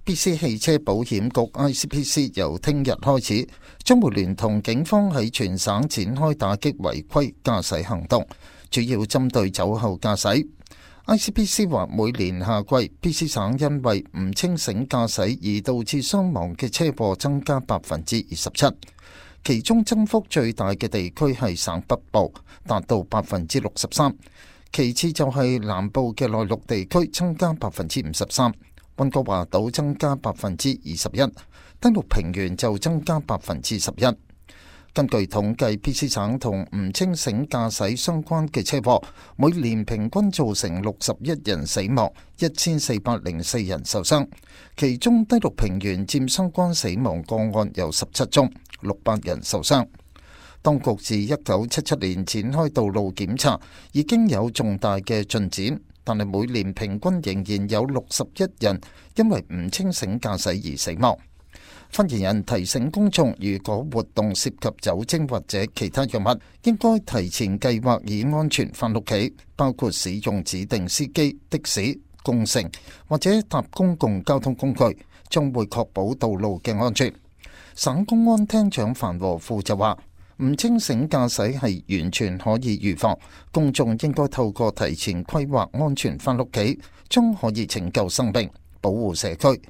BC 汽車保險局 ICBC 由聽日開始，將會聯同警方喺全省展開打擊違規駕駛行動，主要針對酒後駕駛。ICBC 話每年夏季 BC 省因為唔清醒駕駛而導致傷亡嘅車禍增加27%，其中增幅最大嘅地區係省北部，達到63%，其次就係南部嘅內陸地區增加53%，溫哥華島增加21%，登陸平原就增加11%。根據統計 ，BC 省同唔清醒駕駛相關嘅車禍，每年平均造成61人死亡，1404人受傷。其中低陸平原佔相關死亡個案有17宗，600人受傷。當局自1977年展開道路檢查，已經有重大嘅進展，但係每年平均仍然有61人因為唔清醒駕駛而死亡。發言人提醒公眾，如果活動涉及酒精或者其他藥物，應該提前計劃以安全返屋企，包括使用指定司機、的士、共乘或者搭公共交通工具，將會確保道路嘅安全。省公安廳長范和富就話，唔清醒駕駛係完全可以預防，公眾應該透過提前規劃安全返屋企，將可以拯救生命，保護社區。